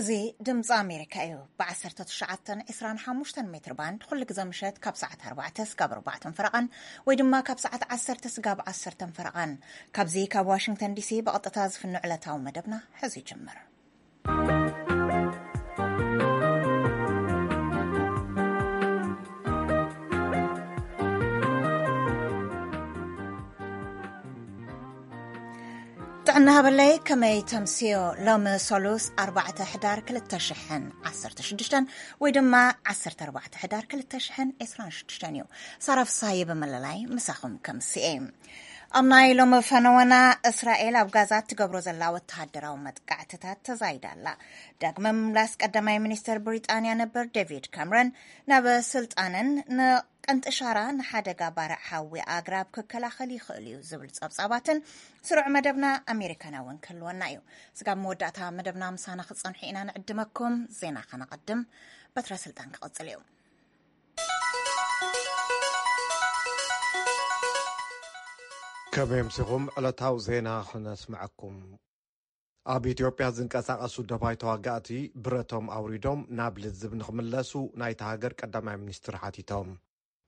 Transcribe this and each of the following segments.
እዚ ድምፂ ኣሜሪካ እዩ። ብ19፣ 25 ሜትር ባንድ ኩሉ ግዜ ምሸት ካብ ሰዓት ኣርባዕተ ስጋብ ኣርባዕተን ፈረቓን፣ ወይ ድማ ካብ ሰዓት ዓሰርተ ስጋብ ዓሰርተን ፈረቓን፣ ካብዚ ካብ ዋሽንግተን ዲሲ ብቐጥታ ዝፍኖ ዕለታዊ መደብና ሕዚ ይጅምር። ጥዕና ሃበለይ፣ ከመይ ተምስዮ? ሎሚ ሰሉስ ኣርባዕተ ሕዳር ክልተ ሽሕን ዓሰርተ ሽዱሽተን፣ ወይ ድማ ዓሰርተ ኣርባዕተ ሕዳር ክልተ ሽሕን ዕስራን ሽዱሽተን እዩ። ሳራ ፍስሃየ ብመለላይ ምሳኹም ከምስኤ። ኣብ ናይ ሎሚ ፈነወና፣ እስራኤል ኣብ ጋዛ እትገብሮ ዘላ ወተሃደራዊ መጥቃዕትታት ተዛይዳ ኣላ። ዳግመ ምምላስ ቀዳማይ ሚኒስትር ብሪጣንያ ነበር ዴቪድ ካምረን ናብ ስልጣንን ንቀንጢ ሻራ ንሓደጋ ባርዕ ሓዊ ኣግራብ ክከላኸል ይኽእል እዩ ዝብል ጸብጻባትን ስሩዕ መደብና ኣሜሪካና እውን ክህልወና እዩ። ስጋብ መወዳእታ መደብና ምሳና ክጸንሑ ኢና ንዕድመኩም። ዜና ከነቐድም፣ በትረ ስልጣን ክቐጽል እዩ። ከመይ ኣምሲኹም? ዕለታዊ ዜና ክነስምዐኩም። ኣብ ኢትዮጵያ ዝንቀሳቐሱ ደባይ ተዋጋእቲ ብረቶም ኣውሪዶም ናብ ልዝብ ንኽምለሱ ናይታ ሃገር ቀዳማይ ሚኒስትር ሓቲቶም።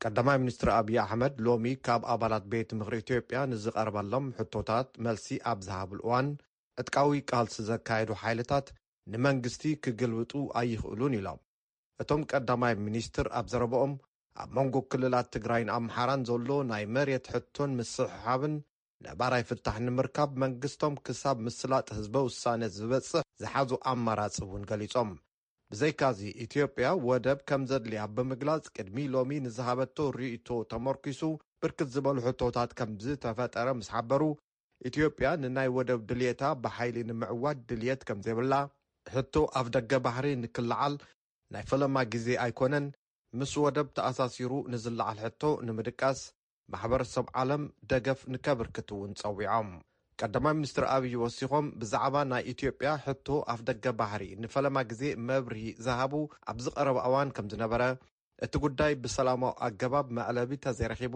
ቀዳማይ ሚኒስትር ኣብይ ኣሕመድ ሎሚ ካብ ኣባላት ቤት ምኽሪ ኢትዮጵያ ንዝቐርበሎም ሕቶታት መልሲ ኣብ ዝሃብሉ እዋን፣ ዕጥቃዊ ቃልሲ ዘካየዱ ሓይልታት ንመንግስቲ ክግልብጡ ኣይኽእሉን ኢሎም። እቶም ቀዳማይ ሚኒስትር ኣብ ዘረባኦም፣ ኣብ መንጎ ክልላት ትግራይን ኣምሓራን ዘሎ ናይ መሬት ሕቶን ምስሕሓብን ነባራይ ፍታሕ ንምርካብ መንግስቶም ክሳብ ምስላጥ ህዝበ ውሳነ ዝበጽሕ ዝሓዙ ኣማራጺ እውን ገሊጾም። ብዘይካዚ፣ ኢትዮጵያ ወደብ ከም ዘድልያ ብምግላጽ፣ ቅድሚ ሎሚ ንዝሃበቶ ርእይቶ ተመርኪሱ ብርክት ዝበሉ ሕቶታት ከም ዝተፈጠረ ምስ ሓበሩ፣ ኢትዮጵያ ንናይ ወደብ ድልየታ ብሓይሊ ንምዕዋት ድልየት ከም ዘይብላ፣ ሕቶ ኣፍ ደገ ባሕሪ ንክለዓል ናይ ፈለማ ግዜ ኣይኮነን፣ ምስ ወደብ ተኣሳሲሩ ንዝለዓል ሕቶ ንምድቃስ ማሕበረሰብ ዓለም ደገፍ ንከብርክት እውን ጸዊዖም። ቀዳማይ ሚኒስትር ኣብይ ወሲኾም፣ ብዛዕባ ናይ ኢትዮጵያ ሕቶ ኣፍ ደገ ባሕሪ ንፈለማ ግዜ መብርሂ ዝሃቡ ኣብዚ ቀረባ እዋን ከም ዝነበረ፣ እቲ ጉዳይ ብሰላማዊ ኣገባብ መዕለቢ ተዘይረኺቡ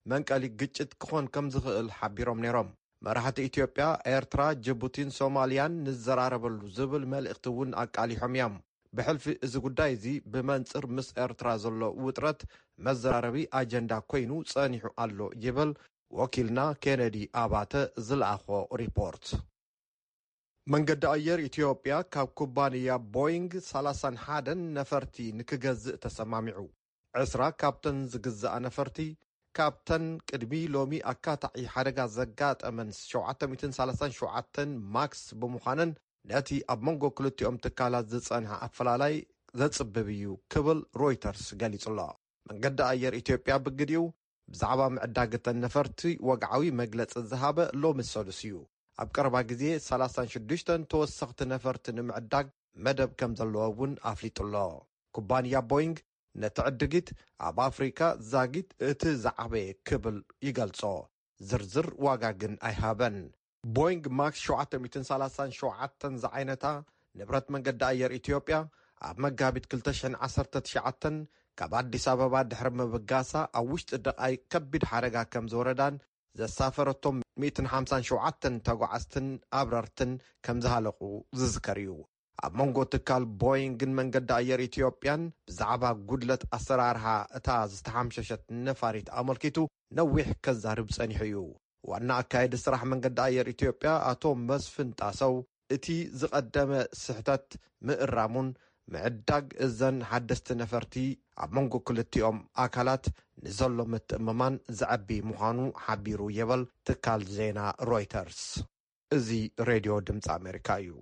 መንቀሊ ግጭት ክኾን ከም ዝኽእል ሓቢሮም ነይሮም። መራሕቲ ኢትዮጵያ፣ ኤርትራ፣ ጅቡቲን ሶማልያን ንዘራረበሉ ዝብል መልእኽቲ እውን ኣቃሊሖም እዮም። ብሕልፊ እዚ ጉዳይ እዚ ብመንጽር ምስ ኤርትራ ዘሎ ውጥረት መዘራረቢ ኣጀንዳ ኮይኑ ጸኒሑ ኣሎ ይብል ወኪልና ኬነዲ ኣባተ ዝለኣኾ ሪፖርት። መንገዲ ኣየር ኢትዮጵያ ካብ ኩባንያ ቦይንግ ሰላሳን ሓደን ነፈርቲ ንክገዝእ ተሰማሚዑ። ዕስራ ካብተን ዝግዝኣ ነፈርቲ፣ ካብተን ቅድሚ ሎሚ ኣካታዒ ሓደጋ ዘጋጠመን ሸውዓተ ሚእትን ሰላሳን ሸውዓተን ማክስ ብምዃነን፣ ነቲ ኣብ መንጎ ክልቲኦም ትካላት ዝጸንሐ ኣፈላላይ ዘጽብብ እዩ ክብል ሮይተርስ ገሊጹ ኣሎ። መንገዲ ኣየር ኢትዮጵያ ብግዲኡ፣ ብዛዕባ ምዕዳግ እተን ነፈርቲ ወግዓዊ መግለጺ ዝሃበ ሎሚ ሰሉስ እዩ። ኣብ ቀረባ ግዜ ሰላሳን ሽዱሽተን ተወሰኽቲ ነፈርቲ ንምዕዳግ መደብ ከም ዘለዎ እውን ኣፍሊጡ ኣሎ። ኩባንያ ቦይንግ ነቲ ዕድጊት ኣብ ኣፍሪካ ዛጊት እቲ ዝዓበየ ክብል ይገልጾ። ዝርዝር ዋጋ ግን ኣይሃበን። ቦይንግ ማክስ ሸውዓተ ሚእትን ሰላሳን ሸውዓተን ዝዓይነታ ንብረት መንገዲ ኣየር ኢትዮጵያ፣ ኣብ መጋቢት ክልተ ሽሕን ዓሰርተ ትሽዓተን ካብ ኣዲስ ኣበባ ድሕሪ ምብጋሳ፣ ኣብ ውሽጢ ደቓይ ከቢድ ሓደጋ ከም ዝወረዳን ዘሳፈረቶም ሚእትን ሓምሳን ሸውዓተን ተጓዓዝትን ኣብረርትን ከም ዝሃለቑ ዝዝከር እዩ። ኣብ መንጎ ትካል ቦይንግን መንገዲ ኣየር ኢትዮጵያን ብዛዕባ ጉድለት ኣሰራርሓ እታ ዝተሓምሸሸት ነፋሪት ኣመልኪቱ ነዊሕ ከዛርብ ጸኒሑ እዩ። ዋና ኣካየዲ ስራሕ መንገዲ ኣየር ኢትዮጵያ ኣቶ መስፍን ጣሰው፣ እቲ ዝቐደመ ስሕተት ምእራሙን ምዕዳግ እዘን ሓደስቲ ነፈርቲ ኣብ መንጎ ክልቲኦም ኣካላት ንዘሎ ምትእምማን ዘዕቢ ምዃኑ ሓቢሩ ይብል ትካል ዜና ሮይተርስ። እዚ ሬድዮ ድምፂ ኣሜሪካ እዩ።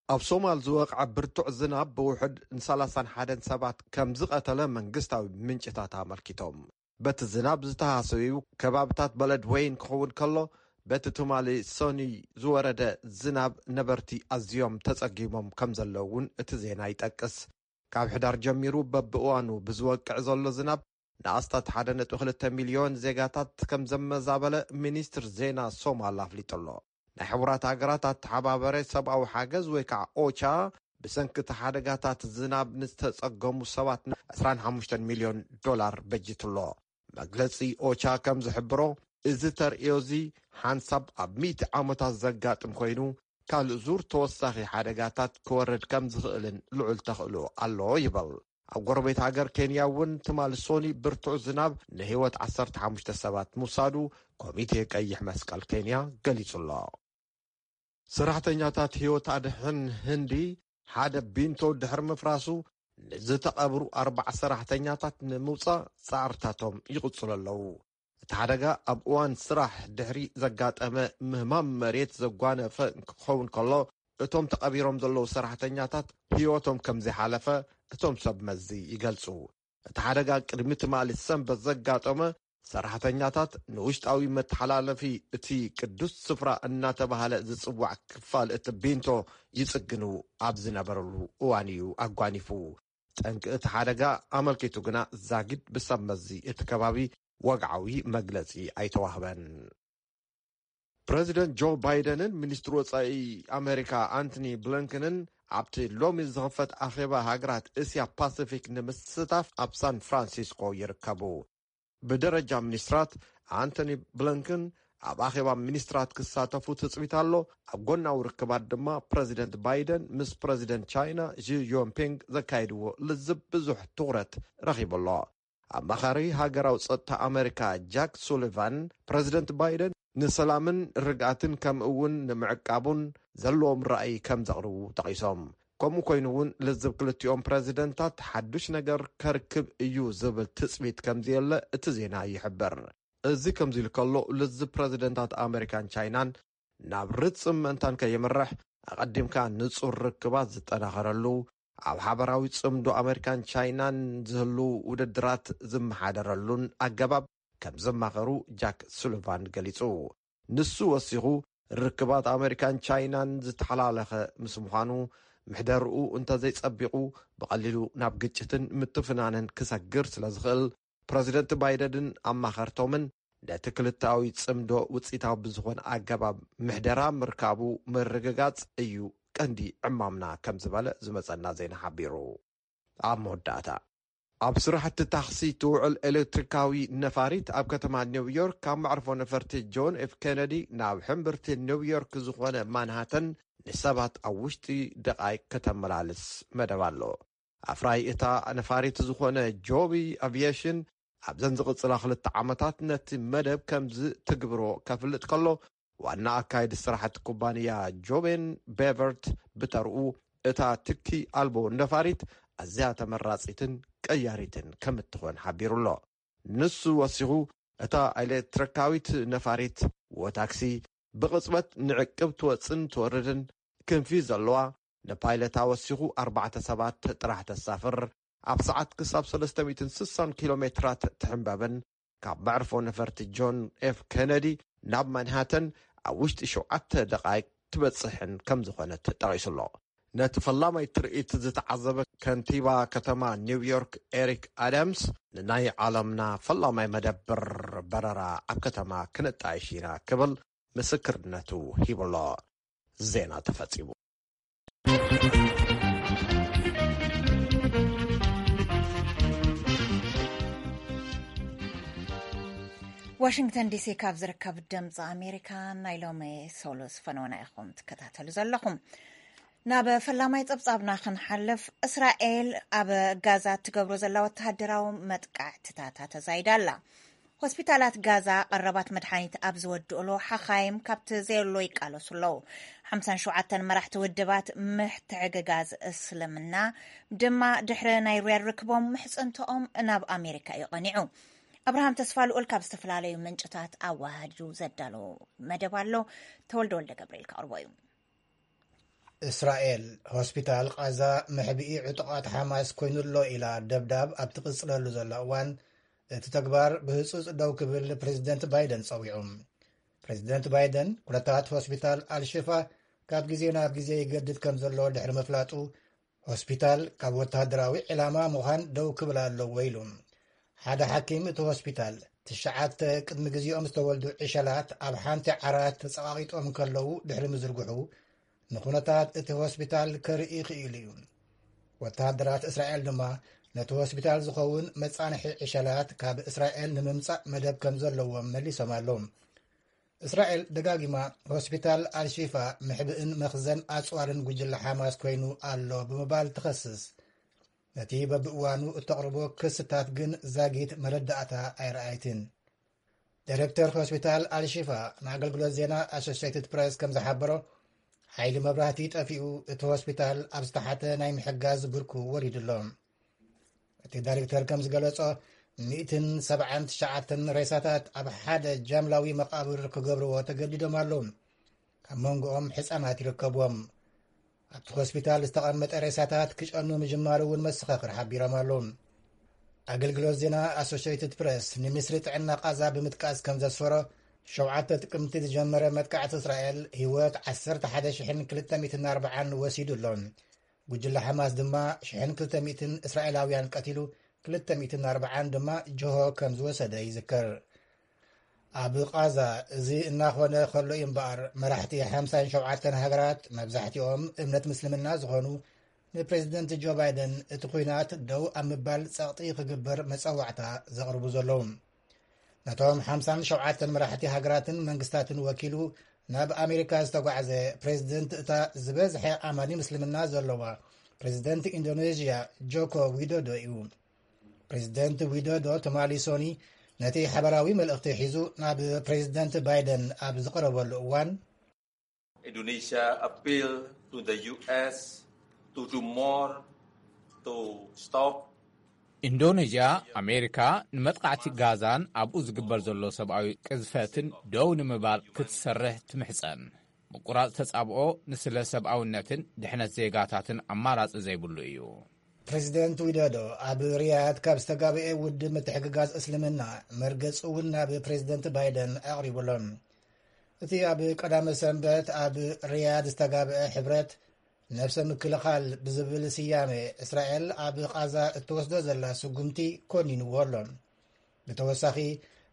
ኣብ ሶማል ዝወቕዐ ብርቱዕ ዝናብ ብውሕድ ንሰላሳን ሓደን ሰባት ከም ዝቐተለ መንግስታዊ ምንጭታት ኣመልኪቶም። በቲ ዝናብ ዝተሃሰዩ ከባብታት በለድ ወይን ክኸውን ከሎ፣ በቲ ትማሊ ሰኑይ ዝወረደ ዝናብ ነበርቲ ኣዝዮም ተጸጊሞም ከም ዘለዉ እውን እቲ ዜና ይጠቅስ። ካብ ሕዳር ጀሚሩ በብእዋኑ ብዝወቅዕ ዘሎ ዝናብ ንኣስታት ሓደ ነጥቢ ክልተ ሚልዮን ዜጋታት ከም ዘመዛበለ ሚኒስትር ዜና ሶማል ኣፍሊጡ ኣሎ። ናይ ሕቡራት ሃገራት ኣተሓባበረ ሰብኣዊ ሓገዝ ወይ ከዓ ኦቻ ብሰንኪ እቲ ሓደጋታት ዝናብ ንዝተጸገሙ ሰባት ዕስራን ሓሙሽተን ሚልዮን ዶላር በጂቱ ኣሎ። መግለጺ ኦቻ ከም ዝሕብሮ፣ እዚ ተርእዮ እዚ ሓንሳብ ኣብ ሚእቲ ዓመታት ዘጋጥም ኮይኑ፣ ካልእ ዙር ተወሳኺ ሓደጋታት ክወርድ ከም ዝኽእልን ልዑል ተኽእሎ ኣሎ ይብል። ኣብ ጎረቤት ሃገር ኬንያ እውን ትማሊ ሶኒ ብርቱዕ ዝናብ ንህይወት ዓሰርተ ሓሙሽተ ሰባት ምውሳዱ ኮሚቴ ቀይሕ መስቀል ኬንያ ገሊጹ ኣሎ። ሰራሕተኛታት ህይወት ኣድሕን ህንዲ ሓደ ቢንቶ ድሕሪ ምፍራሱ ንዝተቐብሩ ኣርባዓ ሰራሕተኛታት ንምውጻእ ጻዕርታቶም ይቕጽሉ ኣለዉ። እቲ ሓደጋ ኣብ እዋን ስራሕ ድሕሪ ዘጋጠመ ምህማም መሬት ዘጓነፈ ክኸውን ከሎ፣ እቶም ተቐቢሮም ዘለዉ ሰራሕተኛታት ህይወቶም ከም ዘይሓለፈ እቶም ሰብ መዚ ይገልጹ። እቲ ሓደጋ ቅድሚ ትማሊ ሰንበት ዘጋጠመ፣ ሰራሕተኛታት ንውሽጣዊ መተሓላለፊ እቲ ቅዱስ ስፍራ እናተባህለ ዝጽዋዕ ክፋል እቲ ቢንቶ ይጽግኑ ኣብ ዝነበረሉ እዋን እዩ ኣጓኒፉ። ጠንቂ እቲ ሓደጋ ኣመልኪቱ ግና ዛጊድ ብሰብ መዚ እቲ ከባቢ ወግዓዊ መግለጺ ኣይተዋህበን። ፕረዚደንት ጆ ባይደንን ሚኒስትሪ ወጻኢ ኣሜሪካ ኣንቶኒ ብሊንከንን ኣብቲ ሎሚ ዝኽፈት ኣኼባ ሃገራት እስያ ፓሲፊክ ንምስታፍ ኣብ ሳን ፍራንሲስኮ ይርከቡ። ብደረጃ ሚኒስትራት ኣንቶኒ ብሊንከን ኣብ ኣኼባ ሚኒስትራት ክሳተፉ ትጽቢት ኣሎ። ኣብ ጎናዊ ርክባት ድማ ፕረዚደንት ባይደን ምስ ፕረዚደንት ቻይና ዢ ጂንፒንግ ዘካየድዎ ልዝብ ብዙሕ ትኹረት ረኺቡ ኣሎ። ኣማኻሪ ሃገራዊ ጸጥታ ኣመሪካ ጃክ ሱሊቫን፣ ፕረዚደንት ባይደን ንሰላምን ርግኣትን ከምኡ እውን ንምዕቃቡን ዘለዎም ራእይ ከም ዘቕርቡ ጠቒሶም። ከምኡ ኮይኑ እውን ልዝብ ክልቲኦም ፕረዚደንታት ሓዱሽ ነገር ከርክብ እዩ ዝብል ትጽቢት ከም ዘየለ እቲ ዜና ይሕብር። እዚ ከምዚ ኢሉ ከሎ፣ ልዝብ ፕረዚደንታት ኣመሪካን ቻይናን ናብ ርጽም ምእንታን ከየምርሕ ኣቐዲምካ ንጹር ርክባት ዝጠናኸረሉ፣ ኣብ ሓበራዊ ጽምዶ ኣመሪካን ቻይናን ዝህሉ ውድድራት ዝመሓደረሉን ኣገባብ ከም ዝማኸሩ ጃክ ሱሊቫን ገሊጹ። ንሱ ወሲኹ፣ ርክባት ኣመሪካን ቻይናን ዝተሓላለኸ ምስ ምዃኑ፣ ምሕደርኡ እንተዘይጸቢቑ ብቐሊሉ ናብ ግጭትን ምትፍናንን ክሰግር ስለ ዝኽእል፣ ፕረዚደንት ባይደንን ኣማኸርቶምን ነቲ ክልተኣዊ ጽምዶ ውጽኢታዊ ብዝኾነ ኣገባብ ምሕደራ ምርካቡ ምርግጋጽ እዩ ቀንዲ ዕማምና ከም ዝበለ ዝመጸና ዜና ሓቢሩ። ኣብ መወዳእታ፣ ኣብ ስራሕቲ ታክሲ ትውዕል ኤሌክትሪካዊ ነፋሪት ኣብ ከተማ ኒውዮርክ ካብ መዕርፎ ነፈርቲ ጆን ኤፍ ኬነዲ ናብ ሕምብርቲ ኒውዮርክ ዝኾነ ማንሃተን ንሰባት ኣብ ውሽጢ ደቓይቅ ከተመላልስ መደብ ኣሎ። ኣፍራይ እታ ነፋሪት ዝኾነ ጆቢ ኣቪየሽን ኣብዘን ዝቕጽላ ክልተ ዓመታት ነቲ መደብ ከም ዝትግብሮ ከፍልጥ ከሎ፣ ዋና ኣካይዲ ስራሕቲ ኩባንያ ጆቤን ቤቨርት ብተርኡ፣ እታ ትኪ ኣልቦ ነፋሪት ኣዝያ ተመራጺትን ቀያሪትን ከም እትኾን ሓቢሩ ኣሎ። ንሱ ወሲኹ፣ እታ ኤሌክትሪካዊት ነፋሪት ወታክሲ ብቕጽበት ንዕቅብ ትወጽን ትወርድን ክንፊ ዘለዋ፣ ንፓይለታ ወሲኹ ኣርባዕተ ሰባት ጥራሕ ተሳፍር፣ ኣብ ሰዓት ክሳብ ሰለስተ ሚእትን ስሳን ኪሎ ሜትራት ትሕንበብን ካብ መዕርፎ ነፈርቲ ጆን ኤፍ ኬነዲ ናብ ማንሃተን ኣብ ውሽጢ ሸውዓተ ደቓይቅ ትበጽሕን ከም ዝኾነት ጠቒሱ ኣሎ። ነቲ ፈላማይ ትርኢት ዝተዓዘበ ከንቲባ ከተማ ኒውዮርክ ኤሪክ ኣዳምስ፣ ንናይ ዓለምና ፈላማይ መደብር በረራ ኣብ ከተማ ክነጣይሽ ኢና ክብል ምስክርነቱ ሂቡ ኣሎ። ዜና ተፈጺሙ። ዋሽንግተን ዲሲ ካብ ዝርከብ ድምፂ ኣሜሪካ ናይ ሎሚ ሰሉስ ፈነወና ኢኹም ትከታተሉ ዘለኹም። ናብ ፈላማይ ጸብጻብና ክንሓልፍ፣ እስራኤል ኣብ ጋዛ እትገብሮ ዘላ ወተሃደራዊ መጥቃዕትታት ኣተዛይዳ ኣላ። ሆስፒታላት ጋዛ ቀረባት መድሓኒት ኣብ ዝወድእሉ፣ ሓኻይም ካብቲ ዘየሎ ይቃለሱ ኣለዉ። ሓምሳን ሸውዓተን መራሕቲ ውድባት ምሕትሕግጋዝ እስልምና ድማ ድሕሪ ናይ ሪያድ ርክቦም ምሕጽንትኦም ናብ ኣሜሪካ እዩ ቀኒዑ። ኣብርሃም ተስፋ ልኡል ካብ ዝተፈላለዩ ምንጭታት ኣዋሃዱ ዘዳሎ መደብ ኣሎ። ተወልደ ወልደ ገብርኤል ከቕርቦ እዩ። እስራኤል ሆስፒታል ቓዛ መሕብኢ ዕጡቓት ሓማስ ኮይኑ'ሎ ኢላ ደብዳብ ኣብ ትቕጽለሉ ዘላ እዋን፣ እቲ ተግባር ብህጹጽ ደው ክብል ፕሬዚደንት ባይደን ጸዊዑ። ፕሬዚደንት ባይደን ኩነታት ሆስፒታል ኣልሽፋ ካብ ግዜ ናብ ግዜ ይገድድ ከም ዘሎ ድሕሪ ምፍላጡ፣ ሆስፒታል ካብ ወተሃደራዊ ዕላማ ምዃን ደው ክብል ኣለዎ ኢሉ። ሓደ ሓኪም እቲ ሆስፒታል፣ ትሽዓተ ቅድሚ ግዜኦም ዝተወልዱ ዕሸላት ኣብ ሓንቲ ዓራት ተጸቓቒጦም ከለዉ ድሕሪ ምዝርግሑ፣ ንኹነታት እቲ ሆስፒታል ከርኢ ክኢሉ እዩ። ወተሃደራት እስራኤል ድማ ነቲ ሆስፒታል ዝኸውን መጻንሒ ዕሸላት ካብ እስራኤል ንምምጻእ መደብ ከም ዘለዎም መሊሶም ኣለዉ። እስራኤል ደጋጊማ ሆስፒታል ኣልሺፋ መሕብእን መኽዘን ኣጽዋርን ጉጅለ ሓማስ ኮይኑ ኣሎ ብምባል ትኸስስ። ነቲ በብእዋኑ እተቕርቦ ክስታት ግን ዛጊት መረዳእታ ኣይረኣይትን። ዳይሬክተር ሆስፒታል ኣልሺፋ ንኣገልግሎት ዜና ኣሶሲየትድ ፕሬስ ከም ዝሓበሮ፣ ሓይሊ መብራህቲ ጠፊኡ፣ እቲ ሆስፒታል ኣብ ዝተሓተ ናይ ምሕጋዝ ብርኩ ወሪዱ ኣሎ። እቲ ዳይሬክተር ከም ዝገለጾ፣ ሚእትን ሰብዓን ትሽዓተን ሬሳታት ኣብ ሓደ ጃምላዊ መቓብር ክገብርዎ ተገዲዶም ኣለዉ። ካብ መንጎኦም ሕጻናት ይርከብዎም። ኣብቲ ሆስፒታል ዝተቐመጠ ሬሳታት ክጨኑ ምጅማሩ እውን መሰኻኽር ሓቢሮም ኣለዉ። ኣገልግሎት ዜና ኣሶሽትድ ፕሬስ ንሚኒስትሪ ጥዕና ቃዛ ብምጥቃስ ከም ዘስፈሮ፣ ሸውዓተ ጥቅምቲ ዝጀመረ መጥቃዕቲ እስራኤል ህይወት ዓሰርተ ሓደ ሽሕን ክልተ ሚእትን ኣርባዓን ወሲዱ ኣሎ። ጉጅለ ሓማስ ድማ ሽሕን ክልተ ሚእትን እስራኤላውያን ቀቲሉ፣ ክልተ ሚእትን ኣርባዓን ድማ ጅሆ ከም ዝወሰደ ይዝከር። ኣብ ቃዛ እዚ እናኾነ ከሎ እዩ እምበኣር፣ መራሕቲ ሓምሳን ሸውዓተን ሃገራት፣ መብዛሕትኦም እምነት ምስልምና ዝኾኑ፣ ንፕሬዚደንት ጆ ባይደን እቲ ኲናት ደው ኣብ ምባል ጸቕጢ ክግበር መጸዋዕታ ዘቕርቡ ዘለዉ። ነቶም ሓምሳን ሸውዓተን መራሕቲ ሃገራትን መንግስታትን ወኪሉ ናብ ኣሜሪካ ዝተጓዕዘ ፕሬዚደንት እታ ዝበዝሐ ኣማኒ ምስልምና ዘለዋ ፕሬዚደንት ኢንዶኔዥያ ጆኮ ዊዶዶ እዩ። ፕሬዚደንት ዊዶዶ ትማሊ ሶኒ ነቲ ሓበራዊ መልእኽቲ ሒዙ ናብ ፕሬዚደንት ባይደን ኣብ ዝቐረበሉ እዋን፣ Indonesia appeal to the U S to do more to stop ኢንዶኔዥያ፣ ኣሜሪካ ንመጥቃዕቲ ጋዛን ኣብኡ ዝግበር ዘሎ ሰብኣዊ ቅዝፈትን ደው ንምባል ክትሰርሕ ትምሕጸን። ምቁራጽ ተጻብኦ ንስለ ሰብኣውነትን ድሕነት ዜጋታትን ኣማራጺ ዘይብሉ እዩ። ፕሬዚደንት ዊዶዶ ኣብ ሪያድ ካብ ዝተጋብኤ ውድብ ምትሕግጋዝ እስልምና መርገጹ እውን ናብ ፕሬዚደንት ባይደን ኣቕሪቡሎም። እቲ ኣብ ቀዳመ ሰንበት ኣብ ሪያድ ዝተጋብአ ሕብረት ነብሰ ምክልኻል ብዝብል ስያመ እስራኤል ኣብ ቓዛ እትወስዶ ዘላ ስጉምቲ ኮኒንዎ ኣሎ። ብተወሳኺ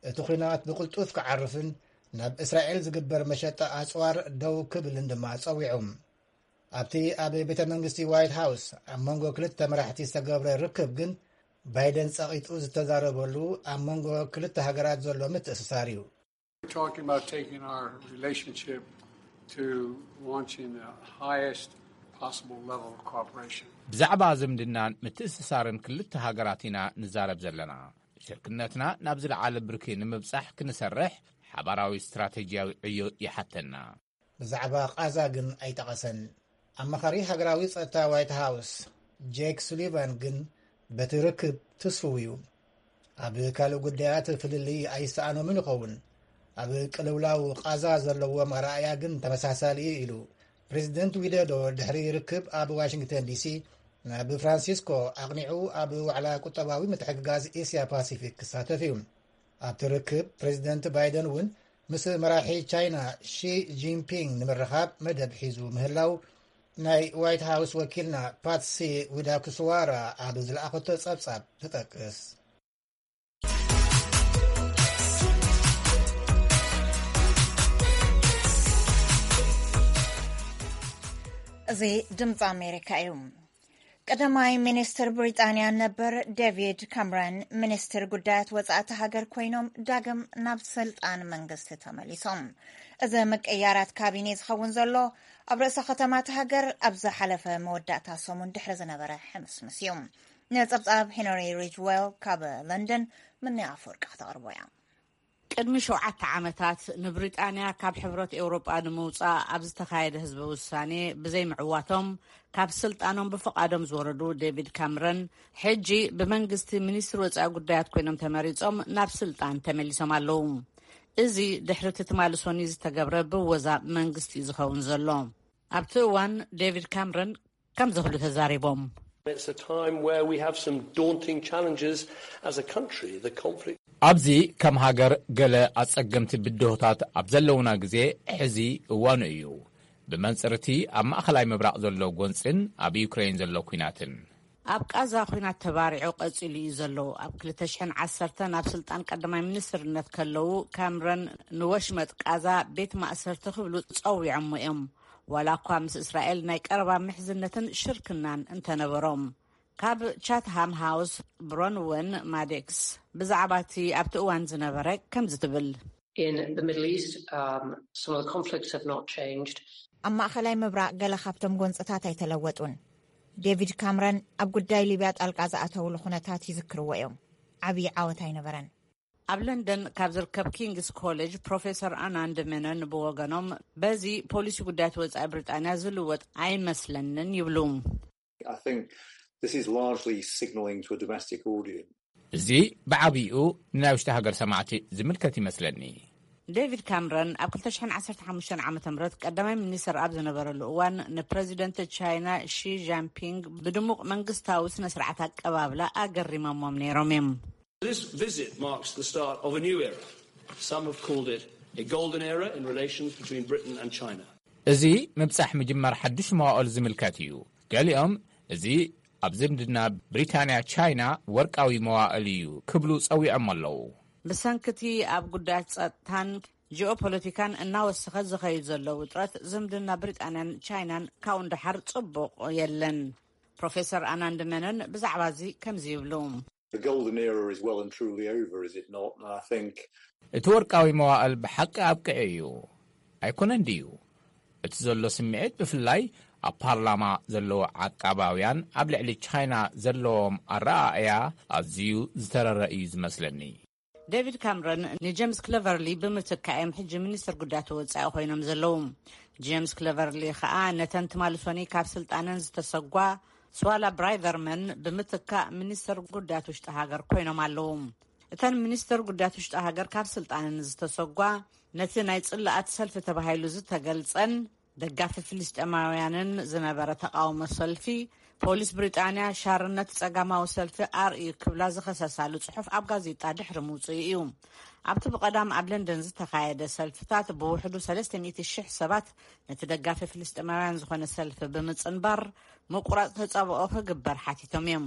እቲ ኲናት ብቕልጡፍ ክዓርፍን ናብ እስራኤል ዝግበር መሸጣ ኣጽዋር ደው ክብልን ድማ ጸዊዑ። ኣብቲ ኣብ ቤተ መንግስቲ ዋይት ሃውስ ኣብ መንጎ ክልተ መራሕቲ ዝተገብረ ርክብ ግን ባይደን ጸቒጡ ዝተዛረበሉ ኣብ መንጎ ክልተ ሃገራት ዘሎ ምትእስሳር እዩ። We're talking about taking our relationship to launching the highest possible level of cooperation. ብዛዕባ ዝምድናን ምትእስሳርን ክልተ ሃገራት ኢና ንዛረብ ዘለና። ሽርክነትና ናብ ዝለዓለ ብርኪ ንምብጻሕ ክንሰርሕ ሓባራዊ ስትራተጂያዊ ዕዮ ይሓተና። ብዛዕባ ቓዛ ግን ኣይጠቐሰን። ኣማኻሪ ሃገራዊ ጸጥታ ዋይት ሃውስ ጄክ ሱሊቫን ግን በቲ ርክብ ትስፉው እዩ። ኣብ ካልእ ጉዳያት ፍልልይ ኣይሰኣኖምን ይኸውን። ኣብ ቅልውላው ቓዛ ዘለዎም ኣረኣእያ ግን ተመሳሳሊ እዩ ኢሉ። ፕሬዚደንት ዊደዶ ድሕሪ ርክብ ኣብ ዋሽንግተን ዲሲ ናብ ፍራንሲስኮ ኣቕኒዑ ኣብ ዋዕላ ቁጠባዊ ምትሕግጋዝ ኤስያ ፓሲፊክ ክሳተፍ እዩ። ኣብቲ ርክብ ፕሬዚደንት ባይደን እውን ምስ መራሒ ቻይና ሺ ጂንፒንግ ንምርኻብ መደብ ሒዙ ምህላው ናይ ዋይት ሃውስ ወኪልና ፓትሲ ዊዳኩስዋራ ኣብ ዝለኣኸቶ ጸብጻብ ትጠቅስ። እዚ ድምፂ ኣሜሪካ እዩ። ቀዳማይ ሚኒስትር ብሪጣንያ ነበር ዴቪድ ካምረን ሚኒስትር ጉዳያት ወፃእቲ ሃገር ኮይኖም ዳግም ናብ ስልጣን መንግስቲ ተመሊሶም። እዚ ምቅያራት ካቢኔ ዝኸውን ዘሎ ኣብ ርእሰ ከተማ እታ ሃገር ኣብ ዝሓለፈ መወዳእታ ሰሙን ድሕሪ ዝነበረ ሕምስምስ እዩ። ንፀብፃብ ሄንሪ ሪጅዌል ካብ ለንደን ምኒ ኣፈወርቂ ክተቕርቦ እያ። ቅድሚ ሸውዓተ ዓመታት ንብሪጣንያ ካብ ሕብረት ኤውሮጳ ንምውጻእ ኣብ ዝተኻየደ ህዝበ ውሳኔ ብዘይምዕዋቶም ካብ ስልጣኖም ብፍቓዶም ዝወረዱ ዴቪድ ካምረን ሕጂ ብመንግስቲ ሚኒስትሪ ወጻኢ ጉዳያት ኮይኖም ተመሪጾም ናብ ስልጣን ተመሊሶም ኣለዉ። እዚ ድሕሪ እቲ ትማሊ ሶኒ ዝተገብረ ብወዛ መንግስቲ እዩ ዝኸውን ዘሎ። ኣብቲ እዋን ዴቪድ ካምረን ከምዚ ክብሉ ተዛሪቦም። It's a time where we have some daunting challenges as a country. The conflict ኣብዚ ከም ሃገር ገለ ኣጸገምቲ ብድሆታት ኣብ ዘለውና ግዜ ሕዚ እዋኑ እዩ። ብመንጽር እቲ ኣብ ማእከላይ ምብራቕ ዘሎ ጎንጽን ኣብ ዩክሬን ዘሎ ኲናትን። ኣብ ቃዛ ኲናት ተባሪዑ ቀጺሉ እዩ ዘሎ። ኣብ ክልተ ሽሕን ዓሰርተን ኣብ ስልጣን ቀዳማይ ሚኒስትርነት ከለዉ ካምረን ንወሽመጥ ቃዛ ቤት ማእሰርቲ ክብሉ ጸዊዖሞ እዮም። ዋላ እኳ ምስ እስራኤል ናይ ቀረባ ምሕዝነትን ሽርክናን እንተነበሮም። ካብ ቻትሃም ሃውስ ብሮንወን ማዴክስ ብዛዕባ እቲ ኣብቲ እዋን ዝነበረ ከምዚ ትብል። In the Middle East, um, some of the conflicts have not changed. ኣብ ማእኸላይ ምብራቕ ገለ ካብቶም ጎንፅታት ኣይተለወጡን። ዴቪድ ካምረን ኣብ ጉዳይ ሊብያ ጣልቃ ዝኣተውሉ ኩነታት ይዝክርዎ እዮም። ዓብዪ ዓወት ኣይነበረን። ኣብ ለንደን ካብ ዝርከብ ኪንግስ ኮሌጅ ፕሮፌሰር ኣናንድ ሜኖን ብወገኖም፣ በዚ ፖሊሲ ጉዳያት ወጻኢ ብሪጣንያ ዝልወጥ ኣይመስለንን ይብሉ። I think this is largely signalling to a domestic audience. እዚ ብዓብይኡ ንናይ ውሽጢ ሃገር ሰማዕቲ ዝምልከት ይመስለኒ። ዴቪድ ካምረን ኣብ ክልተ ሽሕን ዓሰርተ ሓሙሽተን ዓመተ ምህረት ቀዳማይ ሚኒስትር ኣብ ዝነበረሉ እዋን ንፕረዚደንት ቻይና ሺ ጃንፒንግ ብድሙቕ መንግስታዊ ስነ ስርዓት ኣቀባብላ ኣገሪሞሞም ነይሮም እዮም። This visit marks the start of a new era. Some have called it a golden era in relations between Britain and China. እዚ ምብጻሕ ምጅማር ሓድሽ መዋእል ዝምልከት እዩ። ገሊኦም እዚ ኣብ ዝምድና ብሪታንያ ቻይና ወርቃዊ መዋእል እዩ ክብሉ ጸዊዖም ኣለዉ። ብሰንክቲ ኣብ ጉዳያት ጸጥታን ጂኦፖለቲካን እናወሰኸ ዝኸይድ ዘሎ ውጥረት ዝምድና ብሪጣንያን ቻይናን ካብኡ ንደሓር ጽቡቕ የለን። ፕሮፌሰር ኣናንድ መነን ብዛዕባ እዚ ከምዚ ይብሉ። The golden era is well and truly over, is it not? And I think እቲ ወርቃዊ መዋእል ብሓቂ ኣብቅዒ እዩ ኣይኮነን ድዩ? እቲ ዘሎ ስምዒት ብፍላይ ኣብ ፓርላማ ዘለዉ ዓቃባውያን ኣብ ልዕሊ ቻይና ዘለዎም ኣረኣእያ ኣዝዩ ዝተረረ እዩ ዝመስለኒ። ዴቪድ ካምረን ንጀምስ ክለቨርሊ ብምትካእ እዮም ሕጂ ሚኒስትር ጉዳያት ወጻኢ ኮይኖም ዘለዉ። ጀምስ ክለቨርሊ ከኣ ነተን ትማሊ ሶኒ ካብ ስልጣነን ዝተሰጓ ስዋላ ብራይቨርመን ብምትካእ ሚኒስትር ጉዳያት ውሽጢ ሃገር ኮይኖም ኣለዉ። እተን ሚኒስትር ጉዳያት ውሽጢ ሃገር ካብ ስልጣነን ዝተሰጓ ነቲ ናይ ጽላኣት ሰልፊ ተባሂሉ ዝተገልጸን ደጋፊ ፍልስጤማውያንን ዝነበረ ተቓውሞ ሰልፊ፣ ፖሊስ ብሪጣንያ ሻርነት ጸጋማዊ ሰልፊ ኣርእዩ ክብላ ዝኸሰሳሉ ጽሑፍ ኣብ ጋዜጣ ድሕሪ ምውጽኡ እዩ። ኣብቲ ብቐዳም ኣብ ለንደን ዝተኻየደ ሰልፍታት ብውሕዱ ሰለስተ ሚእቲ ሽሕ ሰባት ነቲ ደጋፊ ፍልስጤማውያን ዝኾነ ሰልፊ ብምጽንባር ምቁራጽ ተጻብኦ ክግበር ሓቲቶም እዮም።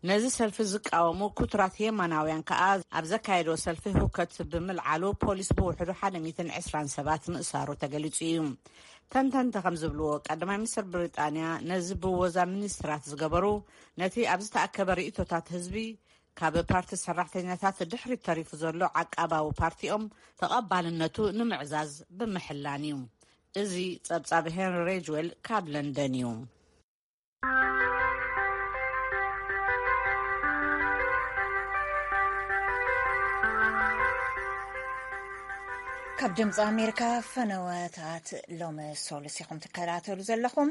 ነዚ ሰልፊ ዝቃወሙ ኩትራት የማናውያን ከኣ ኣብ ዘካየድዎ ሰልፊ ህውከት ብምልዓሉ ፖሊስ ብውሕዱ ሓደ ሚእትን ዕስራን ሰባት ምእሳሩ ተገሊጹ እዩ። ተንተንቲ ከም ዝብልዎ ቀዳማይ ሚኒስትር ብሪጣንያ ነዚ ብወዛ ሚኒስትራት ዝገበሩ ነቲ ኣብ ዝተኣከበ ርእይቶታት ህዝቢ ካብ ፓርቲ ሰራሕተኛታት ድሕሪት ተሪፉ ዘሎ ዓቃባዊ ፓርቲኦም ተቐባልነቱ ንምዕዛዝ ብምሕላን እዩ። እዚ ጸብጻብ ሄንሪ ሬጅዌል ካብ ለንደን እዩ። ካብ ድምፂ ኣሜሪካ ፈነወታት ሎሚ ሶሉስ ኢኹም ትከታተሉ ዘለኹም።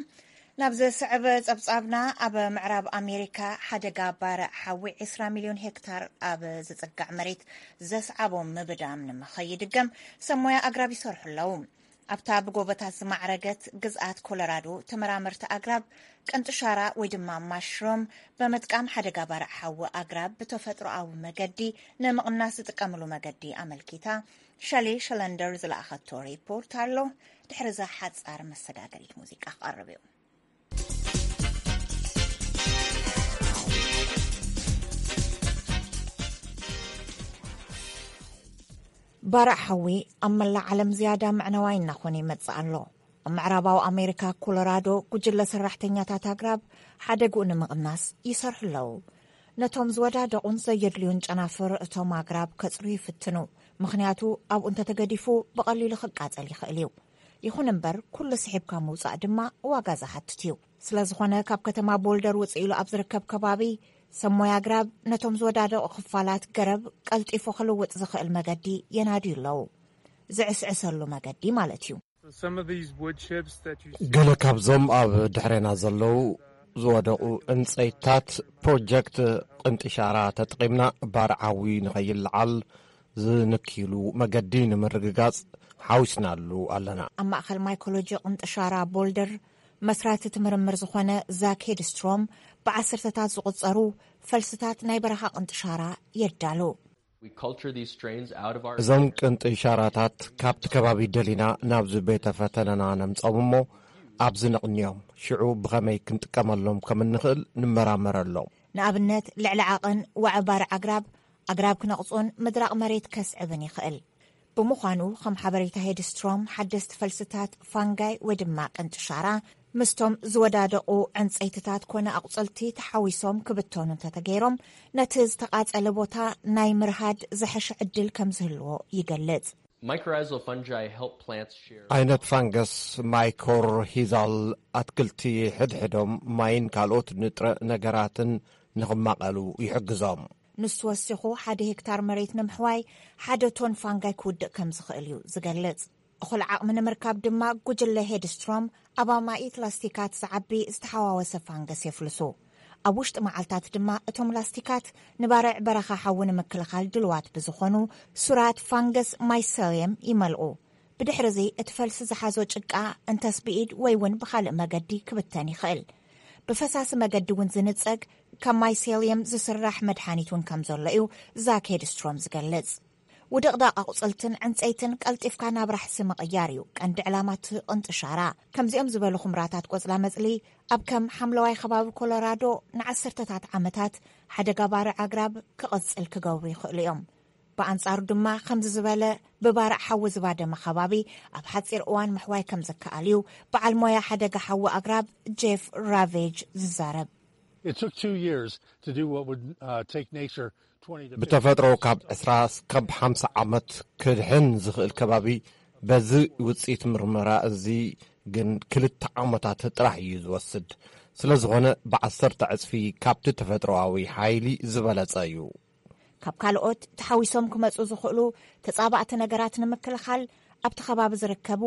ናብ ዘስዕብ ጸብጻብና፣ ኣብ ምዕራብ ኣሜሪካ ሓደጋ ባርዕ ሓዊ ዕስራ ሚልዮን ሄክታር ኣብ ዝጽጋዕ መሬት ዘስዓቦ ምብዳም ንምኸይድገም ሰብ ሞያ ኣግራብ ይሰርሑ ኣለዉ። ኣብታ ብጎቦታት ዝማዕረገት ግዝኣት ኮሎራዶ፣ ተመራመርቲ ኣግራብ ቅንጥሻራ ወይ ድማ ማሽሮም ብምጥቃም ሓደጋ ባርዕ ሓዊ ኣግራብ ብተፈጥሮኣዊ መገዲ ንምቕናስ ዝጥቀምሉ መገዲ ኣመልኪታ ሸሊ ሸለንደር ዝለኣኸቶ ሪፖርት ኣሎ። ድሕሪ እዛ ሓጻር መሰጋገሪት ሙዚቃ ክቐርብ እዩ። ባርዕ ሓዊ ኣብ መላእ ዓለም ዝያዳ መዕነዋይ እናኾነ ይመጽእ ኣሎ። ኣብ ምዕራባዊ ኣሜሪካ ኮሎራዶ ጉጅለ ሰራሕተኛታት ኣግራብ ሓደግኡ ንምቕናስ ይሰርሑ ኣለዉ። ነቶም ዝወዳደቑን ዘየድልዩን ጨናፍር እቶም ኣግራብ ከጽርዩ ይፍትኑ፣ ምኽንያቱ ኣብኡ እንተተገዲፉ ብቐሊሉ ክቃጸል ይኽእል እዩ። ይኹን እምበር ኩሉ ስሒብካ ምውጻእ ድማ ዋጋ ዝሓትት እዩ። ስለ ዝኾነ ካብ ከተማ ቦልደር ውጽእ ኢሉ ኣብ ዝርከብ ከባቢ ሰብ ሞያ ኣግራብ ነቶም ዝወዳደቑ ክፋላት ገረብ ቀልጢፉ ክልውጥ ዝኽእል መገዲ የናድዩ ኣለዉ። ዝዕስዕሰሉ መገዲ ማለት እዩ። ገለ ካብዞም ኣብ ድሕሬና ዘለዉ ዝወደቑ ዕንጸይትታት ፕሮጀክት ቅንጥሻራ ተጠቒምና ባርዓዊ ንኸይለዓል ዝንክይሉ መገዲ ንምርግጋጽ ሓዊስናሉ ኣለና። ኣብ ማእኸል ማይኮሎጂ ቅንጥሻራ ቦልደር መስራቲ እቲ ምርምር ዝኾነ ዛክ ሄድስትሮም ብዓሰርተታት ዝቑጸሩ ፈልስታት ናይ በረኻ ቅንጥሻራ የዳሉ። እዞም ቅንጥሻራታት ካብቲ ከባቢ ደሊና ናብዚ ቤተ ፈተነና ነምጾም እሞ ኣብዚ ነቕንዮም፣ ሽዑ ብኸመይ ክንጥቀመሎም ከም እንኽእል ንመራመረሎም። ንኣብነት ልዕሊ ዓቐን ዋዒ ባርዕ ኣግራብ፣ ኣግራብ ክነቕጹን ምድራቕ መሬት ከስዕብን ይኽእል። ብምዃኑ ከም ሓበሬታ ሄድስትሮም ሓደስቲ ፈልስታት ፋንጋይ ወይ ድማ ቅንጥሻራ ምስቶም ዝወዳደቑ ዕንጸይትታት ኮነ ኣቑጽልቲ ተሓዊሶም ክብተኑ እንተተገይሮም ነቲ ዝተቓጸለ ቦታ ናይ ምርሃድ ዝሐሸ ዕድል ከም ዝህልዎ ይገልጽ። Mycorrhizal fungi help plants share. ዓይነት ፋንገስ ማይኮርሂዛል ኣትክልቲ ሕድሕዶም ማይን ካልኦት ንጥረ ነገራትን ንኽማቐሉ ይሕግዞም። ንሱ ወሲኹ፣ ሓደ ሄክታር መሬት ንምሕዋይ ሓደ ቶን ፋንጋይ ክውድእ ከም ዝኽእል እዩ ዝገልጽ። እኹል ዓቕሚ ንምርካብ ድማ፣ ጉጅለ ሄድስትሮም ኣብ ኣማኢት ላስቲካት ዝዓቢ ዝተሓዋወሰ ፋንገስ የፍልሱ። ኣብ ውሽጢ መዓልታት ድማ፣ እቶም ላስቲካት ንባርዕ በረኻ ሓዊ ንምክልኻል ድልዋት ብዝኾኑ ሱራት ፋንገስ ማይሰልየም ይመልኡ። ብድሕርዚ፣ እቲ ፈልሲ ዝሓዞ ጭቃ እንተስ ብኢድ ወይ እውን ብኻልእ መገዲ ክብተን ይኽእል። ብፈሳሲ መገዲ እውን ዝንጸግ፣ ካብ ማይሴልየም ዝስራሕ መድሓኒት እውን ከም ዘሎ እዩ ዛክ ሄድስትሮም ዝገልጽ። ውድቕዳቕ ኣቑጽልትን ዕንጸይትን ቀልጢፍካ ናብ ራሕሲ ምቕያር እዩ ቀንዲ ዕላማ እቲ ቅንጥሻራ። ከምዚኦም ዝበሉ ኹምራታት ቆጽላ መጽሊ፣ ኣብ ከም ሓምለዋይ ከባቢ ኮሎራዶ ንዓሰርተታት ዓመታት ሓደጋ ባርዕ ኣግራብ ክቕጽል ክገብሩ ይኽእሉ እዮም። ብኣንጻሩ ድማ፣ ከምዚ ዝበለ ብባርዕ ሓዊ ዝባደመ ከባቢ ኣብ ሓጺር እዋን ምሕዋይ ከም ዝከኣል እዩ በዓል ሞያ ሓደጋ ሓዊ ኣግራብ ጄፍ ራቬጅ ዝዛረብ። It took two years to do what would uh, take nature twenty to fifty ብተፈጥሮ years. ካብ ዕስራ እስካብ ሓምሳ ዓመት ክድሕን ዝኽእል ከባቢ፣ በዚ ውፅኢት ምርመራ እዚ ግን ክልተ ዓመታት ጥራሕ እዩ ዝወስድ። ስለ ዝኾነ፣ ብዓሰርተ ዕፅፊ ካብቲ ተፈጥሮኣዊ ሓይሊ ዝበለፀ እዩ። ካብ ካልኦት ተሓዊሶም ክመጹ ዝኽእሉ ተጻባእቲ ነገራት ንምክልኻል፣ ኣብቲ ከባቢ ዝርከቡ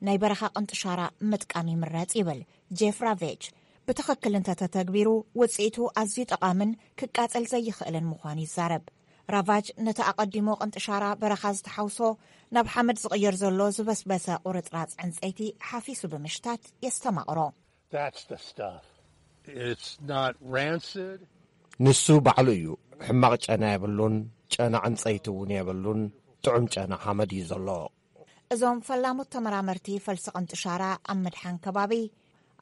ናይ በረኻ ቅንጥሻራ ምጥቃም ይምረጽ ይብል ጄፍ ራቬጅ። ብትኽክል እንተተተግቢሩ፣ ውጽኢቱ ኣዝዩ ጠቓምን ክቃጸል ዘይኽእልን ምዃኑ ይዛረብ። ራቫጅ ነቲ ኣቐዲሙ ቅንጥሻራ በረኻ ዝተሓውሶ፣ ናብ ሓመድ ዝቕየር ዘሎ ዝበስበሰ ቁርጽራጽ ዕንጸይቲ ሓፊሱ ብምሽታት የስተማቕሮ። That's the stuff. It's not rancid. ንሱ ባዕሉ እዩ። ሕማቕ ጨና የብሉን፣ ጨና ዕንጸይቲ እውን የብሉን፣ ጥዑም ጨና ሓመድ እዩ ዘሎ። እዞም ፈላሞት ተመራመርቲ ፈልሲ ቅንጥሻራ ኣብ ምድሓን ከባቢ፣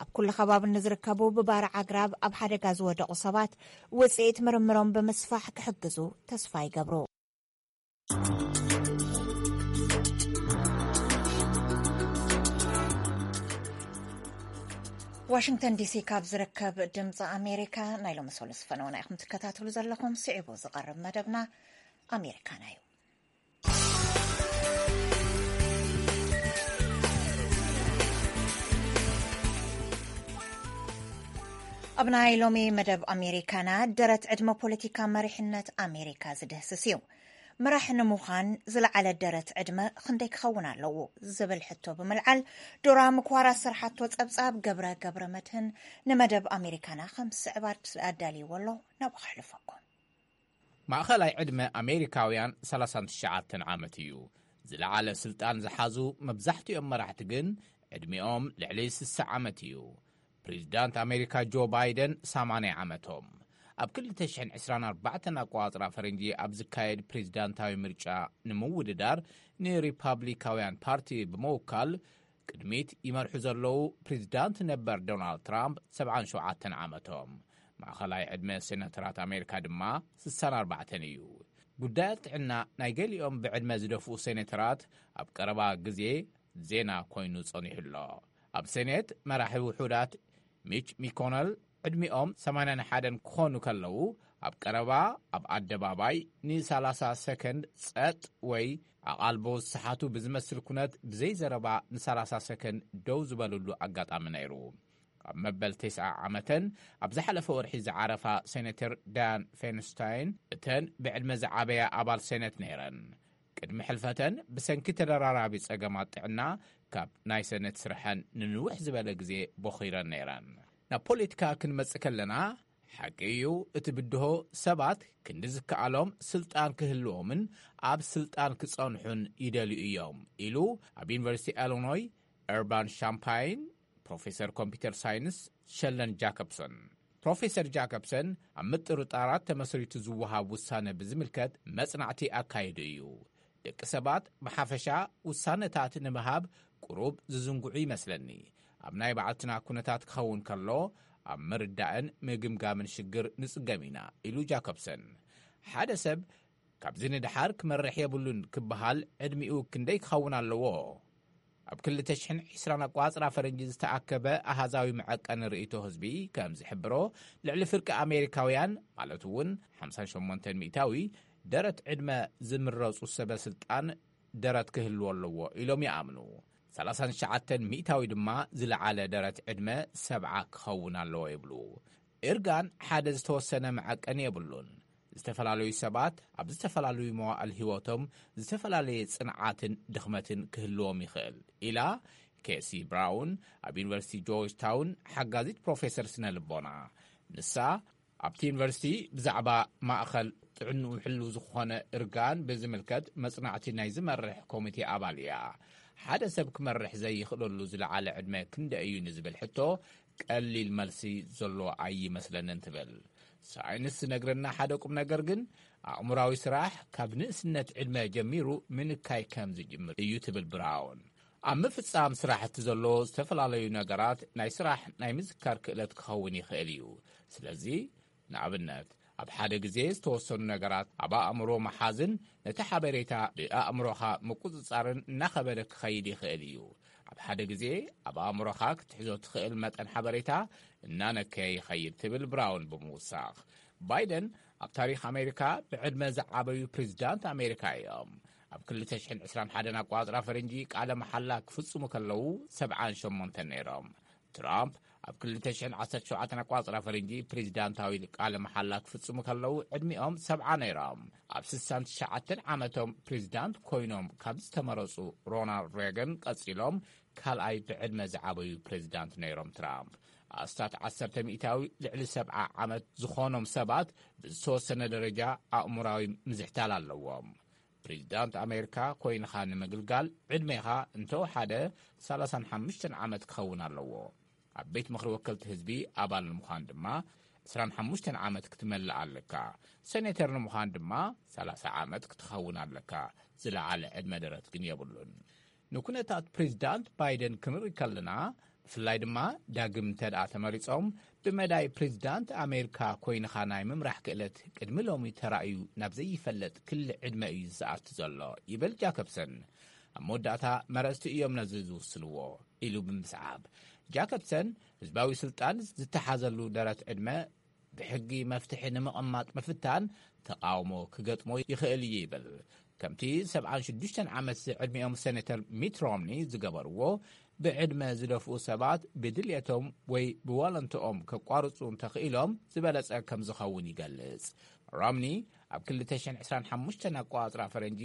ኣብ ኩሉ ከባቢ ንዝርከቡ ብባርዕ ኣግራብ ኣብ ሓደጋ ዝወደቑ ሰባት ውጽኢት ምርምሮም ብምስፋሕ ክሕግዙ ተስፋ ይገብሩ። ዋሽንግተን ዲሲ ካብ ዝርከብ ድምፂ ኣሜሪካ ናይ ሎሚ ሰሉስ ፈነውና ኢኹም ትከታተሉ ዘለኹም። ስዒቡ ዝቐርብ መደብና ኣሜሪካና እዩ። ኣብ ናይ ሎሚ መደብ ኣሜሪካና፣ ደረት ዕድመ ፖለቲካ መሪሕነት ኣሜሪካ ዝድህስስ እዩ። መራሒ ንምዃን ዝለዓለ ደረት ዕድመ ክንደይ ክኸውን ኣለዎ ዝብል ሕቶ ብምልዓል፣ ዶራ ምክዋር ኣሰርሓቶ ጸብጻብ ገብረ ገብረ መድህን ንመደብ ኣሜሪካና ከም ዝስዕብ ኣዳልይዎ ኣሎ። ናብኡ ከሕልፈኩም። ማእኸላይ ዕድመ ኣሜሪካውያን ሰላሳን ትሽዓተን ዓመት እዩ። ዝለዓለ ስልጣን ዝሓዙ መብዛሕትኦም መራሕቲ ግን ዕድሚኦም ልዕሊ ስሳ ዓመት እዩ። ፕሬዚዳንት ኣሜሪካ ጆ ባይደን ሰማንያ ዓመቶም። ኣብ ክልተ ሽሕን ዕስራን ኣርባዕተን ኣቆጻጽራ ፈረንጂ ኣብ ዝካየድ ፕሬዚዳንታዊ ምርጫ ንምውድዳር ንሪፓብሊካውያን ፓርቲ ብምውካል ቅድሚት ይመርሑ ዘለዉ ፕሬዚዳንት ነበር ዶናልድ ትራምፕ ሰብዓን ሸውዓተን ዓመቶም። ማእኸላይ ዕድመ ሴናተራት ኣሜሪካ ድማ ስሳን ኣርባዕተን እዩ። ጉዳያት ጥዕና ናይ ገሊኦም ብዕድመ ዝደፍኡ ሴኔተራት ኣብ ቀረባ ግዜ ዜና ኮይኑ ጸኒሑ ኣሎ። ኣብ ሴኔት መራሒ ውሑዳት ሚች ሚኮነል ዕድሚኦም ሰማንያን ሓደን ክኾኑ ከለዉ፣ ኣብ ቀረባ ኣብ ኣደባባይ ንሰላሳ ሰከንድ ጸጥ ወይ ኣቓልቦ ዝሰሓቱ ብዝመስል ኩነት ብዘይ ዘረባ ንሰላሳ ሰከንድ ደው ዝበልሉ ኣጋጣሚ ነይሩ። ኣብ መበል ተስዓ ዓመተን ኣብ ዝሓለፈ ወርሒ ዝዓረፋ ሴኔተር ዳያን ፌንስታይን እተን ብዕድመ ዝዓበያ ኣባል ሴኔት ነይረን። ቅድሚ ሕልፈተን ብሰንኪ ተደራራቢ ጸገማት ጥዕና ካብ ናይ ሴኔት ስርሐን ንንውሕ ዝበለ ግዜ ቦኺረን ነይረን። ናብ ፖለቲካ ክንመጽእ ከለና፣ ሓቂ እዩ፣ እቲ ብድሆ ሰባት ክንዲ ዝከኣሎም ስልጣን ክህልዎምን ኣብ ስልጣን ክጸንሑን ይደልዩ እዮም ኢሉ ኣብ ዩኒቨርሲቲ ኢሊኖይ ኤርባን ሻምፓይን ፕሮፌሰር ኮምፒውተር ሳይንስ ሸለን ጃኮብሰን። ፕሮፌሰር ጃኮብሰን ኣብ ምጥርጣራት ተመስሪቱ ዝወሃብ ውሳነ ብዝምልከት መጽናዕቲ ኣካይዱ እዩ። ደቂ ሰባት ብሓፈሻ ውሳነታት ንምሃብ ቁሩብ ዝዝንግዑ ይመስለኒ። ኣብ ናይ ባዕልትና ኩነታት ክኸውን ከሎ፣ ኣብ ምርዳእን ምግምጋምን ሽግር ንጽገም ኢና ኢሉ ጃኮብሰን። ሓደ ሰብ ካብዚ ንድሓር ክመርሕ የብሉን ክበሃል ዕድሚኡ ክንደይ ክኸውን ኣለዎ? ኣብ ክልተ ሽሕን ዕስራን ኣቋጽራ ፈረንጂ ዝተኣከበ ኣሃዛዊ መዐቀኒ ርእይቶ ህዝቢ ከም ዝሕብሮ፣ ልዕሊ ፍርቂ ኣሜሪካውያን፣ ማለት እውን ሓምሳን ሸሞንተን ሚእታዊ፣ ደረት ዕድመ ዝምረጹ ሰበ ስልጣን ደረት ክህልዎ ኣለዎ ኢሎም ይኣምኑ። ሰላሳን ትሽዓተን ሚእታዊ ድማ ዝለዓለ ደረት ዕድመ ሰብዓ ክኸውን ኣለዎ ይብሉ። እርጋን ሓደ ዝተወሰነ መዐቀኒ የብሉን። ዝተፈላለዩ ሰባት ኣብ ዝተፈላለዩ መዋእል ህይወቶም ዝተፈላለየ ጽንዓትን ድኽመትን ክህልዎም ይኽእል ኢላ ኬሲ ብራውን ኣብ ዩኒቨርሲቲ ጆርጅ ታውን ሓጋዚት ፕሮፌሰር ስነ ልቦና። ንሳ ኣብቲ ዩኒቨርሲቲ ብዛዕባ ማእኸል ጥዕንኡ ሕሉ ዝኾነ እርጋን ብዝምልከት መጽናዕቲ ናይ ዝመርሕ ኮሚቴ ኣባል እያ። ሓደ ሰብ ክመርሕ ዘይኽእለሉ ዝለዓለ ዕድመ ክንደ እዩ ንዝብል ሕቶ ቀሊል መልሲ ዘሎ ኣይመስለንን ትብል። ሳይንስ ዝነግረና ሓደ ቁም ነገር ግን ኣእምራዊ ስራሕ ካብ ንእስነት ዕድመ ጀሚሩ ምንካይ ከም ዝጅምር እዩ ትብል ብራውን። ኣብ ምፍጻም ስራሕቲ ዘሎ ዝተፈላለዩ ነገራት ናይ ስራሕ ናይ ምዝካር ክእለት ክኸውን ይኽእል እዩ። ስለዚ ንኣብነት ኣብ ሓደ ግዜ ዝተወሰኑ ነገራት ኣብ ኣእምሮ መሓዝን ነቲ ሓበሬታ ብኣእምሮኻ ምቁጽጻርን እናኸበደ ክኸይድ ይኽእል እዩ። ኣብ ሓደ ግዜ ኣብ ኣእምሮኻ ክትሕዞ ትኽእል መጠን ሓበሬታ እናነከየ ይኸይድ ትብል ብራውን ብምውሳኽ። ባይደን ኣብ ታሪኽ ኣሜሪካ ብዕድመ ዝዓበዩ ፕሬዚዳንት ኣሜሪካ እዮም። ኣብ ክልተ ሽሕን ዕስራን ሓደን ኣቋጽራ ፈረንጂ ቃለ መሓላ ክፍጽሙ ከለዉ ሰብዓን ሸሞንተን ነይሮም። ትራምፕ ኣብ ክልተ ሽሕን ዓሰርተ ሸውዓተን ኣቋጽራ ፈረንጂ ፕሬዚዳንታዊ ቃለ መሓላ ክፍጽሙ ከለዉ ዕድሚኦም ሰብዓ ነይሮም። ኣብ ስሳን ትሽዓተን ዓመቶም ፕሬዚዳንት ኮይኖም ካብ ዝተመረጹ ሮናልድ ሬገን ቀጺሎም ካልኣይ ብዕድመ ዝዓበዩ ፕሬዚዳንት ነይሮም ትራምፕ። ኣስታት ዓሰርተ ሚእታዊ ልዕሊ ሰብዓ ዓመት ዝኾኖም ሰባት ብዝተወሰነ ደረጃ ኣእምራዊ ምዝሕታል ኣለዎም። ፕሬዚዳንት ኣሜሪካ ኮይንኻ ንምግልጋል ዕድሜኻ እንተወሓደ ሰላሳን ሓሙሽተን ዓመት ክኸውን ኣለዎ። ኣብ ቤት ምኽሪ ወከልቲ ህዝቢ ኣባል ንምዃን ድማ ዕስራን ሓሙሽተን ዓመት ክትመልእ ኣለካ። ሴኔተር ንምዃን ድማ ሰላሳ ዓመት ክትኸውን ኣለካ። ዝለዓለ ዕድመ ደረት ግን የብሉን። ንኩነታት ፕሬዚዳንት ባይደን ክንርኢ ከለና፣ ብፍላይ ድማ ዳግም እንተደኣ ተመሪጾም፣ ብመዳይ ፕሬዚዳንት ኣሜሪካ ኮይንኻ ናይ ምምራሕ ክእለት ቅድሚ ሎሚ ተራእዩ ናብ ዘይፈለጥ ክሊ ዕድመ እዩ ዝኣቱ ዘሎ ይብል ጃከብሰን። ኣብ መወዳእታ መረጽቲ እዮም ነዚ ዝውስንዎ ኢሉ ብምስዓብ፣ ጃከብሰን ህዝባዊ ስልጣን ዝተሓዘሉ ደረት ዕድመ ብሕጊ መፍትሒ ንምቕማጥ ምፍታን ተቓውሞ ክገጥሞ ይኽእል እዩ ይብል። ከምቲ ሰብዓን ሽዱሽተን ዓመት ዝዕድሚኦም ሴኔተር ሚት ሮምኒ ዝገበርዎ፣ ብዕድመ ዝደፍኡ ሰባት ብድልየቶም ወይ ብዋለንትኦም ከቋርጹ እንተኽኢሎም ዝበለጸ ከም ዝኸውን ይገልጽ። ሮምኒ ኣብ ክልተ ሽሕን ዕስራን ሓሙሽተን ኣቋጽራ ፈረንጂ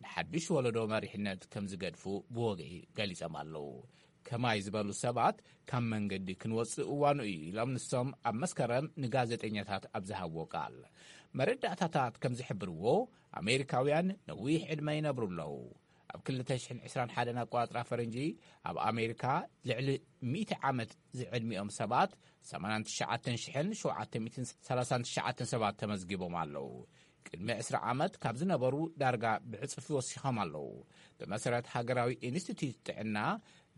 ንሓድሽ ወለዶ መሪሕነት ከም ዝገድፉ ብወግዒ ገሊጾም ኣለዉ። ከማይ ዝበሉ ሰባት ካብ መንገዲ ክንወጽእ እዋኑ እዩ ኢሎም ንሶም ኣብ መስከረም ንጋዜጠኛታት ኣብ ዝሃብዎ ቃል። መረዳእታታት ከም ዝሕብርዎ ኣሜሪካውያን ነዊሕ ዕድመ ይነብሩ ኣለዉ። ኣብ ክልተ ሽሕን ዕስራን ሓደን ኣቋጽራ ፈረንጂ ኣብ ኣሜሪካ ልዕሊ ሚእቲ ዓመት ዝዕድሚኦም ሰባት ሰማንያን ትሽዓተን ሽሕን ሸውዓተ ሚእትን ሰላሳን ትሽዓተን ሰባት ተመዝጊቦም ኣለዉ። ቅድሚ ዕስራ ዓመት ካብ ዝነበሩ ዳርጋ ብዕጽፊ ወሲኾም ኣለዉ። ብመሰረት ሃገራዊ ኢንስቲትዩት ጥዕና፣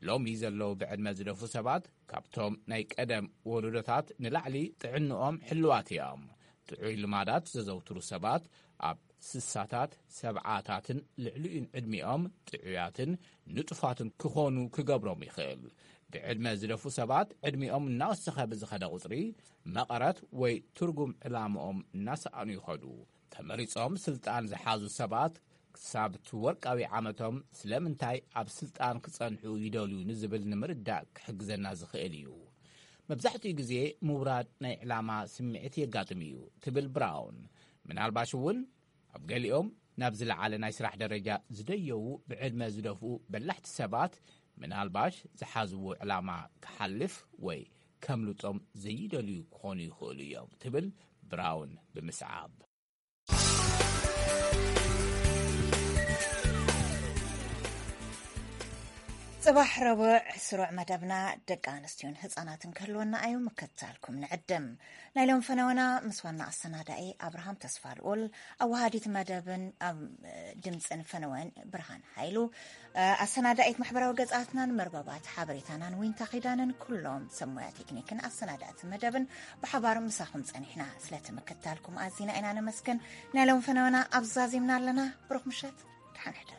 ሎሚ ዘለዉ ብዕድመ ዝደፉ ሰባት ካብቶም ናይ ቀደም ወለዶታት ንላዕሊ ጥዕንኦም ሕልዋት እዮም። ጥዑይ ልማዳት ዘዘውትሩ ሰባት ኣብ ስሳታት፣ ሰብዓታትን ልዕሊኡን ዕድሚኦም ጥዑያትን ንጡፋትን ክኾኑ ክገብሮም ይኽእል። ብዕድመ ዝደፉ ሰባት ዕድሚኦም እናወሰኸ ብዝኸደ ቁጽሪ፣ መቐረት ወይ ትርጉም ዕላምኦም እናሰኣኑ ይኸዱ። ተመሪጾም ስልጣን ዝሓዙ ሰባት ክሳብ እቲ ወርቃዊ ዓመቶም ስለምንታይ ኣብ ስልጣን ክጸንሑ ይደልዩ ንዝብል ንምርዳእ ክሕግዘና ዝኽእል እዩ። መብዛሕትኡ ግዜ ምውራድ ናይ ዕላማ ስምዒት የጋጥም እዩ ትብል ብራውን። ምናልባሽ እውን ኣብ ገሊኦም ናብ ዝለዓለ ናይ ስራሕ ደረጃ ዝደየቡ ብዕድመ ዝደፍኡ በላሕቲ ሰባት ምናልባሽ ዝሓዝዎ ዕላማ ክሓልፍ ወይ ከምልጦም ዘይደልዩ ክኾኑ ይኽእሉ እዮም ትብል ብራውን ብምስዓብ። ጽባሕ ረቡዕ ስሩዕ መደብና ደቂ ኣንስትዮን ህጻናትን ክህልወና እዩ። ምክትታልኩም ንዕድም። ናይ ሎም ፈነወና ምስ ዋና ኣሰናዳኢ ኣብርሃም ተስፋ ልኡል፣ ኣወሃዲት መደብን ኣብ ድምጽን ፈነወን ብርሃን ሓይሉ፣ ኣሰናዳኢት ማሕበራዊ ገጻትናን መርበባት ሓበሬታናን ዊንታ ኪዳንን ኩሎም ሰብ ሞያ ቴክኒክን ኣሰናዳእቲ መደብን ብሓባር ምሳኹም ጸኒሕና። ስለቲ ምክትታልኩም ኣዚና ኢና ነመስግን። ናይ ሎም ፈነወና ኣብዚ ዛዚምና ኣለና። ብሩኽ ምሸት፣ ደሓን ሕደሩ።